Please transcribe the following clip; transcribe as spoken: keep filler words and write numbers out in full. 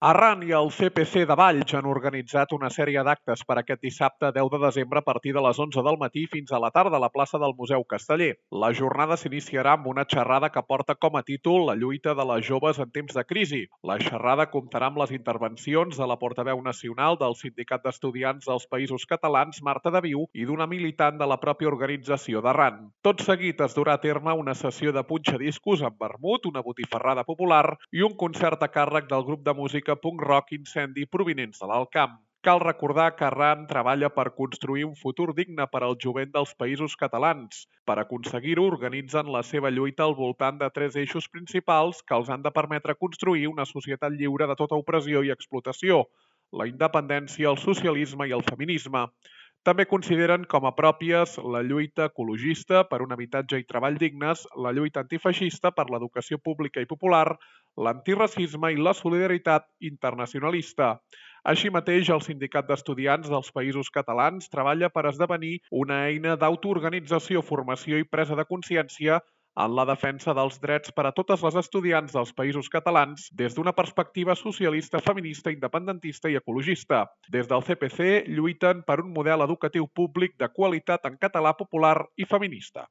Arran i el C P C de Valls han organitzat una sèrie d'actes per aquest dissabte deu de desembre a partir de les onze del matí fins a la tarda a la plaça del Museu Casteller. La jornada s'iniciarà amb una xerrada que porta com a títol La lluita de les joves en temps de crisi. La xerrada comptarà amb les intervencions de la portaveu nacional del Sindicat d'Estudiants dels Països Catalans, Marta de Viu, i d'una militant de la pròpia organització d'Arran. Tot seguit es durà a terme una sessió de punxadiscos amb vermut, una botifarrada popular i un concert a càrrec del grup de música punk rock Incendi provinents de l'Alt Camp. Cal recordar que Arran treballa per construir un futur digne per al jovent dels Països Catalans. Per aconseguir-ho, organitzen la seva lluita al voltant de tres eixos principals que els han de permetre construir una societat lliure de tota opressió i explotació: la independència, el socialisme i el feminisme. També consideren com a pròpies la lluita ecologista per un habitatge i treball dignes, la lluita antifeixista per l'educació pública i popular, l'antiracisme i la solidaritat internacionalista. Així mateix, el Sindicat d'Estudiants dels Països Catalans treballa per esdevenir una eina d'autoorganització, formació i presa de consciència en la defensa dels drets per a totes les estudiants dels Països Catalans des d'una perspectiva socialista, feminista, independentista i ecologista. Des del C P C lluiten per un model educatiu públic de qualitat en català, popular i feminista.